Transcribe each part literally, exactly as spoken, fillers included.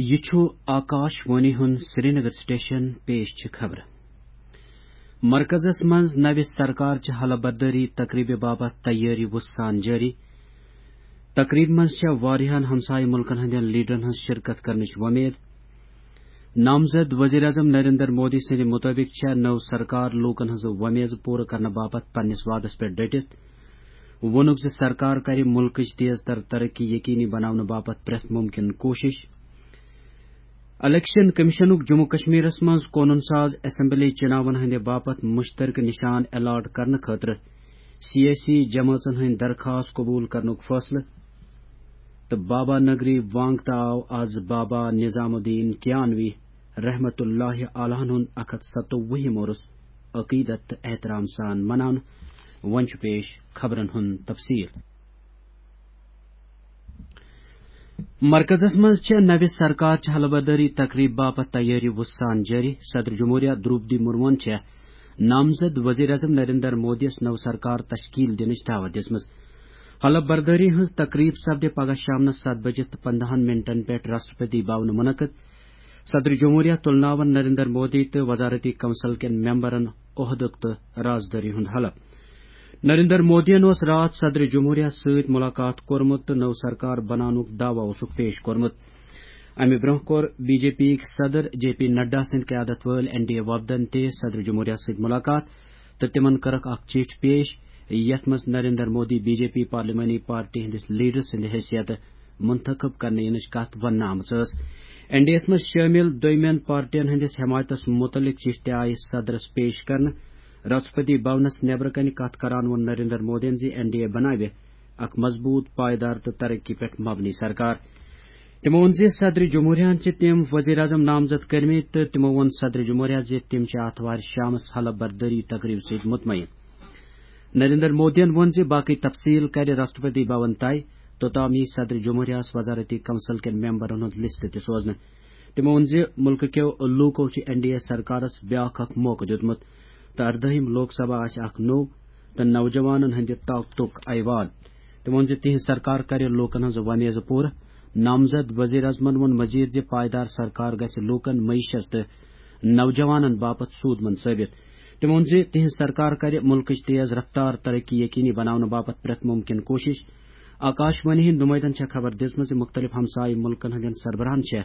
یہِ چھُ آکاش وانی ہُنٛد سرینگر سٹیشن۔ پیش چھِ خبرٕ۔ مرکزس منٛز نوِ سرکار چہِ حلف بردٲری تقریبہِ باپتھ تیٲری وُسان جٲری۔ تقریبہِ منٛز چھےٚ واریاہن ہمسایہِ مُلکن ہٕنٛدٮ۪ن لیڈرن ہٕنٛز شرکت کرنٕچ وۄمید۔ نامزد وزیر اعظم نریندر مودی سٕنٛدِ مُطٲبِق چھےٚ نٔو سرکار لوٗکن ہٕنٛزٕ وۄمیزٕ پوٗرٕ کرنہٕ باپتھ پننِس وعدس پٮ۪ٹھ ڈٔٹِتھ۔ ووٚنُکھ زِ سرکار کرِ مُلکٕچ تیز تر ترقی یقینی بناونہٕ باپتھ پرٛٮ۪تھ مُمکِن کوٗشِش۔ الیکشن کمیشنُک جموں کشمیرس منٛز قونوٗن ساز اسمبلی چُناون ہٕنٛدِ باپتھ مُشترکہٕ نِشان الاٹ کرنہٕ خٲطرٕ سیٲسی جمٲژن ہٕنٛدۍ درخواست قبول کرنُک فٲصلہٕ۔ تہٕ بابا نگری وانگ تہٕ آو از بابا نظام الدین کیانوی رحمت اللہ علیہ ہُنٛد اکھ ہتھ ستووُہِم عُرُس عقیدت تہٕ احترام سان مناونہٕ۔ وۄنۍ چھُ پیش خبرن ہُنٛد تفصیل۔ مرکزس منٛز چھےٚ نوِ سرکار چہِ حلف بردٲری تقریب باپتھ تیٲری وُسان جٲری۔ صدر جمہوریہ دروپدی مرموہن چھےٚ نامزد وزیر اعظم نریندر مودیَس نٔو سرکار تشکیل دِنٕچ دعوت دِژمٕژ۔ حلف بردٲری ہٕنٛز تقریب سپدِ پگاہ شامنس ستھ بجہِ تہٕ پندہن منٹن پٮ۪ٹھ راشٹرپتی بھونہٕ منعقد۔ صدر جمہوریہ تُلناون نریندر مودی تہٕ وزارتی کونسل کٮ۪ن ممبرن عہدُک تہٕ رازدٲری ہُنٛد حلف۔ نریندر مودیَن اوس راتھ صدر جمہوریہ سۭتۍ ملاقات کوٚرمُت تہٕ نٔو سرکار بناونُک دعویٰ اوسُکھ پیش کوٚرمُت۔ امہِ برٛونٛہہ کوٚر بی جے پی یِکۍ صدر جے پی نڈا سٕنٛدِ قیادت وٲلۍ این ڈی اے وفدن تہِ صدر جمہوریہ سۭتۍ ملاقات تہٕ تِمن کٔرٕکھ اکھ چِٹھۍ پیش، یتھ منٛز Narendra Modi B J P پارلیمانی پارٹی ہٕنٛدِس لیڈر سٕنٛدِ حیثیتہٕ منتخب کرنہٕ یِنٕچ کتھ وننہٕ آمٕژ ٲس۔ این ڈی اے یَس منٛز شٲمِل دوٚیمٮ۪ن پارٹین ہٕنٛدِس حمایتس مُتعلق چِٹھۍ تہِ آیہِ صدرس پیش کرنہٕ۔ راشٹرپتی بھونس نیبرٕ کنہِ کتھ کران ووٚن نریندر مودیَن زِ این ڈی اے بناوِ اکھ مضبوط، پائیدار تہٕ ترقی پٮ۪ٹھ مبنی سرکار۔ تِمو ووٚن زِ صدر جمہوریہن چھِ تِم وزیر اعظم نامزد کٔرمٕتۍ تہٕ تِمو ووٚن صدر جمہوریہ زِ تِم چھِ آتھوارِ شامس حلف بردٲری تقریب سۭتۍ مطمئن۔ نریندر مودیَن ووٚن زِ باقٕے تفصیل کرِ راشٹرپتی بھون طے، توٚتام یی صدر جمہوریہس وزارتی کونسل کٮ۪ن ممبرن ہُنٛد لسٹ تہِ سوزنہٕ۔ تِمو ووٚن زِ مُلکہٕ کٮ۪و لوٗکو چھِ این ڈی اے سرکارس بیٛاکھ اکھ موقعہٕ دیُتمُت تہٕ اردٲہِم لوک سبھا آسہِ اکھ نوٚو تہٕ نوجوانن ہٕنٛدِ طاقتُک ایوان۔ تِمو ووٚن زِ تِہنٛز سرکار کرِ لوٗکن ہٕنٛز وۄمیزٕ پوٗرٕ۔ نامزد وزیر اعظمن ووٚن مزید زِ پائیدار سرکار گژھِ لوٗکن، معیشت تہٕ نوجوانن باپتھ سود مند ثٲبت۔ تِمو ووٚن زِ تِہنٛز سرکار کرِ مُلکٕچ تیز رفتار ترقی یقینی بناونہٕ باپتھ پرٛٮ۪تھ مُمکِن کوٗشِش۔ آکاش وانی ہٕنٛدۍ نُمٲیندن چھےٚ خبر دِژمٕژ زِ مُختٔلِف ہمسایہِ مُلکن ہٕنٛدٮ۪ن سربراہن چھےٚ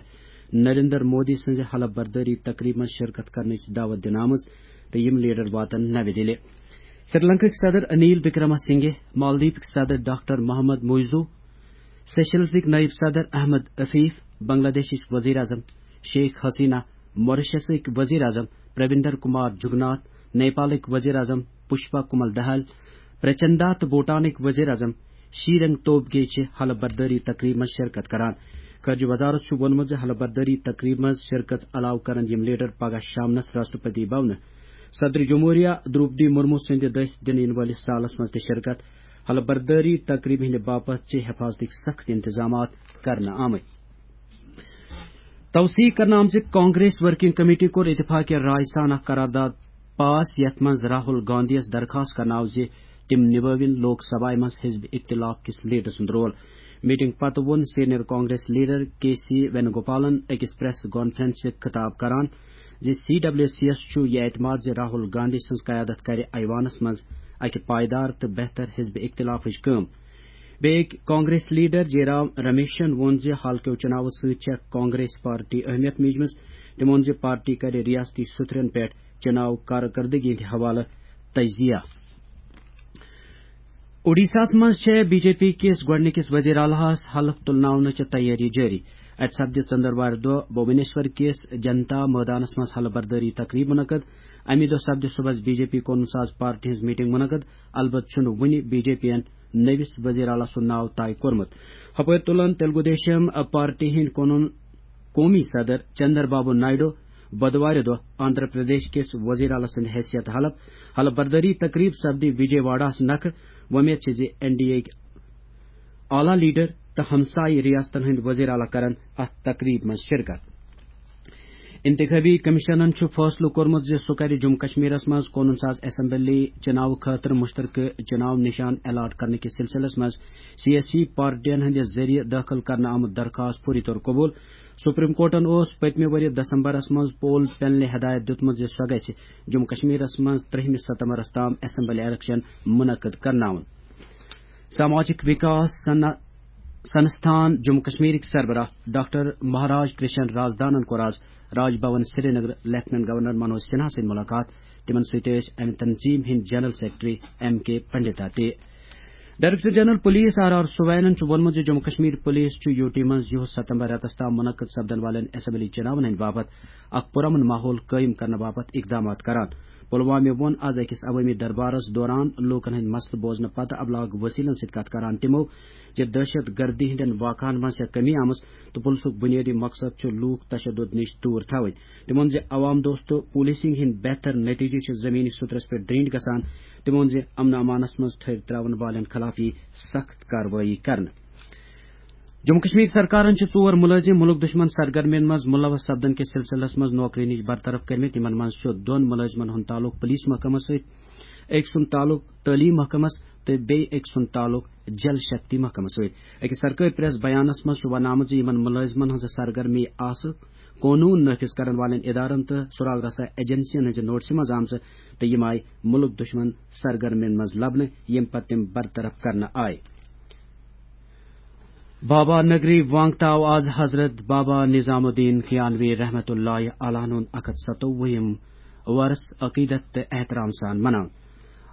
نریندر مودی سٕنٛزِ حلف بردٲری تقریبہِ منٛز شرکت کرنٕچ دعوت دِنہٕ آمٕژ تہٕ یِم لیڈر واتن نَوِ دِلہِ۔ سری لنکٕکۍ صدر انیل وکرما سنگھے، مالدیپٕکۍ صدر ڈاکٹر محمد موئزو، سیشلزٕکۍ نٲیِب صدر احمد عفیف، بنگلہ دیشٕکۍ وزیر اعظم شیخ حسینہ، ماریشسٕکۍ وزیر اعظم پرویندر کمار جگناتھ، نیپالٕکۍ وزیر اعظم پشپا کمل دہل، پرچندا تہٕ بھوٹانٕکۍ وزیر اعظم شیرنگ توبگے چھِ حلف بردٲری تقریب منٛز شرکت کران۔ خارجہ وزارت چھُ ووٚنمُت زِ حلف بردٲری تقریب منٛز شرکت علاوٕ کرن یِم لیڈر پگاہ شامنس راشٹرپتی بھونہٕ صدر جمہوریہ دروپدی مرمو سٕنٛدِ دٔسۍ دِنہٕ یِنہٕ وٲلِس سالس منٛز تہِ شرکت۔ حلف بردٲری تقریبہِ ہٕنٛدِ باپتھ چھِ حفاظتٕکۍ سخت انتظامات کرنہٕ آمٕتۍ۔ توثیق کرنہٕ آمژِ کانگریس ورکنگ کمیٹی کوٚر اتفاق رائے سان اکھ قرارداد پاس، یتھ منٛز راہل گاندھیَس درخواست کرنہٕ آو زِ تِم نِبٲوِن لوک سبھایہ منٛز حزب اختلاف کِس لیڈر سُنٛد رول۔ میٹنگ پتہٕ ووٚن سینئر کانگریس لیڈر کے سی وینوگوپالن أکِس پریس کانفرنسہِ خطاب کران زِ سی ڈبلیو سی یَس چھُ یہِ اعتماد زِ راہل گاندھی سٕنٛز قیادت کرِ ایوانس منٛز اکہِ پائیدار تہٕ بہتر حزب اختلافٕچ کٲم۔ بیٚیہِ کانگریس لیڈر جے رام رمیشن ووٚن زِ حالکیو چُناوو سۭتۍ چھےٚ کانگریس پارٹی اہمیت میجمٕژ۔ تٔمۍ ووٚن زِ پارٹی کرِ ریاستی سُتھرن پٮ۪ٹھ چُناو کارکردگی ہٕنٛدِ حوالہٕ تجزیہ۔ اوڈیشاہس منٛز چھےٚ بی جے پی کِس گۄڈٕنِکِس وزیر اعلیٰ ہس حلف تُلناونٕچ تیٲری جٲری۔ اتہِ سپدِ ژٔنٛدٕروارِ دۄہ بھونیشور کِس جنتا مٲدانس منٛز حلف بردٲری تقریب منعقد۔ اَمی دۄہ سپدِ صُبحس بی جے پی قونوٗن ساز پارٹی ہٕنٛز میٹنگ منعقد۔ البتہٕ چھُنہٕ وُنہِ بی جے پی یَن نٔوِس وزیر اعلیٰ سُنٛد ناو طے کوٚرمُت۔ ہُپٲرۍ تُلن تیلگو دیشم پارٹی ہٕنٛدۍ قونوٗن قومی صدر چندر بابو نائیڈو بدوارِ دۄہ آندھرا پردیش کِس وزیر اعلیٰ سٕنٛدِ حیثیت حلف۔ حلف بردٲری تقریب سپدِ وجے واڑاہس نکھٕ۔ وۄمید چھِ زِ این ڈی اے یٕکۍ اعلیٰ لیڈر تہٕ ہمسایہِ ریاستن ہٕنٛدۍ وزیر اعلیٰ کرن اتھ تقریب منٛز شرکت۔ انتخابی کمیشنن چھُ فٲصلہٕ کوٚرمُت زِ سُہ کَرِ جموں کشمیرس منٛز قونوٗن ساز اسمبلی چناو خٲطرٕ مشترکہٕ چناو نشان الاٹ کرنہٕ کِس سلسلس منٛز سیٲسی پارٹین ہٕنٛدِ ذٔریعہٕ دٲخل کرنہٕ آمُت درخواست فوری طور قبول۔ سپریم کورٹن اوس پٔتمہِ ؤرۍ دسمبرس منٛز پول پینلہِ ہدایت دِیُتمُت زِ سۄ گژھِ جموں کشمیرس منٛز ترٛہمہِ ستمبرس تام اسمبلی الیکشن منعقد کرناوُن۔ سماجک وکاس سن-، سنستھان جموں کشمیرٕکۍ سربراہ ڈاکٹر مہاراج کرشن رازدانن کوٚر آز راج بھون سرینگر لیفٹیننٹ گورنر منوج سنہا سۭتۍ ملاقات۔ تِمن سۭتۍ ٲسۍ امہِ تنظیٖم ہٕنٛدۍ general secretary M K Pandita تہِ۔ Director general police R R سوینن چھُ ووٚنمُت زِ جموں کشمیر پولیس چھُ یوٗ ٹی منٛز یِہُس ستمبر رٮ۪تس تام منعقد سپدن والٮ۪ن اسمبلی چُناون ہٕنٛدِ باپتھ اکھ پُرامن ماحول قٲیِم کرنہٕ باپتھ اقدامات کران۔ پلوامہِ ووٚن آز أکِس عوٲمی دربارس دوران لوٗکن ہٕنٛدۍ مسلہٕ بوزنہٕ پتہٕ ابلاغ وسیلن سۭتۍ کتھ کران تِمو زِ دہشت گردی ہٕنٛدٮ۪ن واقعن منٛز چھےٚ کمی آمٕژ تہٕ پُلسُک بُنیٲدی مقصد چھُ لوٗکھ تشدد نِش دوٗر تھاوٕنۍ۔ تِمو ووٚن زِ عوام دوست پولیسنگ ہٕنٛدۍ بہتر نتیجہٕ چھِ زمینی سترس پٮ۪ٹھ درینج گژھان۔ تِمو ووٚن زِ امن امانس منٛز تھٔرۍ تراون والٮ۪ن خلاف یی سخت کاروٲیی کرنہٕ۔ جموں کشمیر سرکارن چھِ ژور مُلٲزِم مُلک دُشمن سرگرمین منٛز مُلوث سپدن کِس سلسلس منٛز نوکری نِش برطرف کٔرمٕتۍ۔ یِمن منٛز چھُ دۄن مُلٲزِمن ہُنٛد تعلق پُلیٖس محکمس سۭتۍ، أکۍ سُنٛد تعلق تعلیٖم محکمس تہٕ بیٚیہِ أکۍ سُنٛد تعلق جل شکتی محکمس سۭتۍ۔ أکِس سرکٲرۍ پریس بیانس منٛز چھُ وننہٕ آمُت زِ یِمن مُلٲزِمن ہٕنٛز سرگرمی آسہٕ قونوٗن نافذ کرن والٮ۪ن ادارن تہٕ سراغ رسا ایجنسین ہٕنٛزِ نوٹسہِ منٛز آمژٕ تہٕ یِم آیہِ مُلک دُشمن سرگرمین منٛز لبنہٕ، ییٚمہِ پتہٕ تِم برطرف کرنہٕ آیہِ۔ بابا نگری وانگتا آو آز حضرت بابا نظام الدین کیانوی رحمت اللہ علیہ ہُنٛد اکھ ہتھ ستووُہِم ورس عقیدت تہٕ احترام سان مناونہٕ۔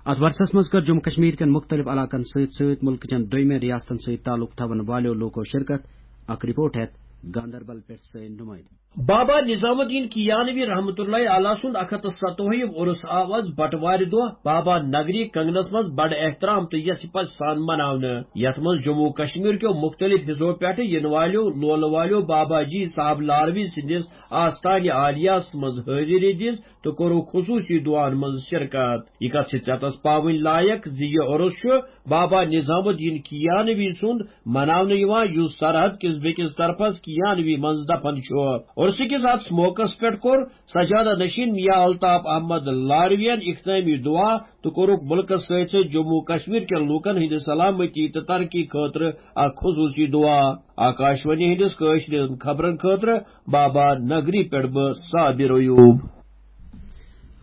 اتھ ورسس منٛز کٔر جموں کشمیر کٮ۪ن مُختٔلِف علاقن سۭتۍ سۭتۍ مُلکہٕ چٮ۪ن دوٚیمٮ۪ن ریاستن سۭتۍ تعلق تھاون والٮ۪و لوٗکو شرکت۔ اکھ رپورٹ ہٮ۪تھ گاندربل پٮ۪ٹھ سٲنۍ نُمٲیِندٕ۔ بابا نظام الدین کیانوی رحمت اللہ علیہ سُنٛد اکھ ہتھ تہٕ ستووُہِم عرس آو آز بٹوارِ دۄہ بابا نگری کنگنس منٛز بڑٕ احترام تہٕ یژھِ پژھِ سان مناونہٕ، یتھ منٛز جموں کشمیر کیو مُختٔلِف حصو پٮ۪ٹھٕ یِنہٕ والٮ۪و لولہٕ والٮ۪و بابا جی صاحب لاروی سٕنٛدِس آستانہِ عالیہس منٛز حٲضری دِژ تہٕ کوٚرُکھ خصوٗصی دُعاہن منٛز شرکت۔ یہِ کتھ چھِ ژٮ۪تس پاوٕنۍ لایق زِ یہِ عرس چھُ بابا نظام الدین کیانوی سُنٛد مناونہٕ یِوان، یُس سرحد کِس بیٚکِس طرفس کیانوی منٛز دفن چھُ۔ عرسہٕ کِس اتھ موقعس پٮ۪ٹھ کوٚر سجادہ نشین میاں الطاف احمد لاروین اختتامی دعا تہٕ کوٚرُکھ مُلکس سۭتۍ سۭتۍ جموں کشمیر کٮ۪ن لوٗکن ہٕنٛدِ سلامتی تہٕ ترقی خٲطرٕ اکھ خصوٗصی دعا۔ آکاشوانی ہٕنٛدِس کٲشرٮ۪ن خبرن خٲطرٕ بابا نگری پٮ۪ٹھ بہٕ صابر ایوب۔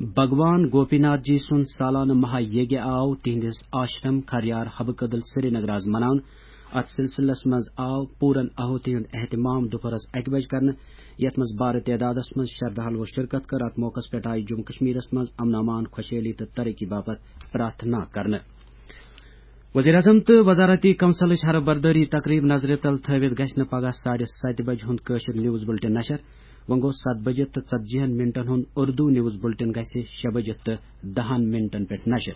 بھگوان گوپی ناتھ جی سُنٛد سالانہٕ مہا یگیہ آو تِہنٛدِس آشرم کھریار حبہٕ کدل سرینگر آز مناونہٕ۔ اتھ سلسلس منٛز آو پوٗرن آہوتی ہُنٛد اہتمام دُپہرس اکہِ بجہِ کرنہٕ، یتھ منٛز بارٕ تعدادس منٛز شردھالو شرکت کٔر۔ اتھ موقعس پٮ۪ٹھ آیہِ جموں کشمیرس منٛز امن امان، خۄشحٲلی تہٕ ترقی باپتھ پرارتھنا کرنہٕ۔ وزیر اعظم تہٕ وزارتی کونسلٕچ حرف بردٲری تقریب نظرِ تل تھٲوِتھ گژھِ نہٕ پگاہ ساڑِ ستہِ بجہِ ہُنٛد کٲشُر نیوز بُلٹن نشر۔ وۄنۍ گوٚو ستھ بجہِ تہٕ ژتجی ہن منٹن ہُنٛد اردو نیوز بُلٹن گژھِ شےٚ بجہِ تہٕ دہن منٹن پٮ۪ٹھ نشر۔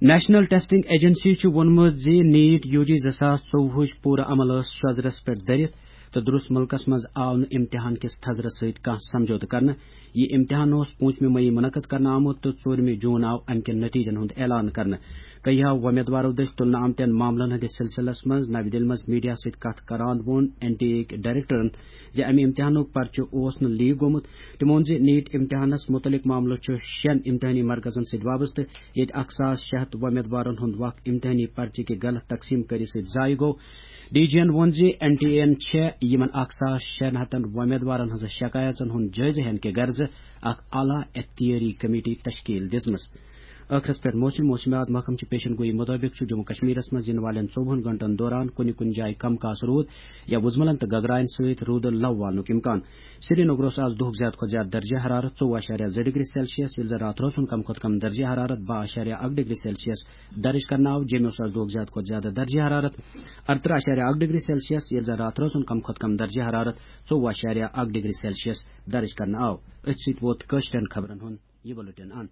نیشنل ٹیسٹنگ ایجنسی چھُ ووٚنمُت زِ نیٹ یو جی زٕ ساس ژوٚوُہٕچ پوٗرٕ عمل ٲس شۄزرس پٮ۪ٹھ دٔرِتھ تہٕ درست مُلکس منٛز آو نہٕ امتحان کِس تھزرس سۭتۍ کانٛہہ سمجھوتہٕ کرنہٕ۔ یہِ امتحان اوس پوٗنٛژمہِ مئی منعقد کرنہٕ آمُت تہٕ ژوٗرمہِ جوٗن آو امہِ کٮ۪ن نتیجن ہُنٛد اعلان کرنہٕ۔ کینٛہو وۄمیدوارو دٔسۍ تُلنہٕ آمتٮ۪ن معاملن ہٕنٛدِس سلسلس منٛز نَوِ دِلہِ منٛز میڈیا سۭتۍ کتھ کران ووٚن این ٹی اے یِکۍ ڈائریکٹرن زِ امہِ امتحانُک پرچہٕ اوس نہٕ لیک گوٚمُت۔ تِمو ووٚن زِ نیٹ امتحانس مُتعلق معاملہٕ چھُ شٮ۪ن امتحانی مرکزن سۭتۍ وابستہٕ، ییٚتہِ اکھ ساس شےٚ ہتھ وۄمیدوارن ہُنٛد وقت امتحانی پرچہٕ کہِ غلط تقسیٖم کٔرِتھ سۭتۍ ضایع گوٚو۔ ڈی جی ین ووٚن زِ این ٹی اے ین چھےٚ یِمن اکھ ساس شٮ۪ن ہتن وۄمیدوارن ہٕنٛزن شکایژن ہُنٛد جٲیزٕ ہینہٕ کہِ غرضہٕ اکھ اعلیٰ اختیٲری کمیٹی تشکیل دِژمٕژ۔ ٲخرس پٮ۪ٹھ موسم۔ موسمیات محکمہٕ چہِ پیشن گویی مطٲبق چھُ جموں کشمیرس منٛز یِنہٕ والٮ۪ن ژوٚوُہن گھنٹن دوران کُنہِ کُنہِ جایہِ کم کاسہٕ روٗد یا وُزملن تہٕ گگراین سۭتۍ روٗدٕ لو والنُک امکان۔ سرینگرس آز دُہُک زیادٕ کھۄتہٕ زیادٕ درجہ حرارت ژوٚوُہ اعشاریہ زٕ ڈگری سیلسیس، ییٚلہِ زن راتھ روزُن کم کھۄتہٕ کم درجہ حرارت باہ اعشاریہ اکھ ڈگری سیلسیس درج کرنہٕ آو۔ جیٚمہِ اوس آز دُہُک زیادٕ کھۄتہٕ زیادٕ درجہ حرارت ارترٕہ اعشاریہ اکھ ڈگری سیلسیس، ییٚلہِ زن راتھ روزُن کم کھۄتہٕ کم درجہ حرارت ژوٚوُہ اعشاریہ اکھ ڈگری سیلسیس درج کرنہٕ آو۔ أتھۍ سۭتۍ ووت کٲشرٮ۪ن خبرن ہُنٛد یہِ بُلٹن اند۔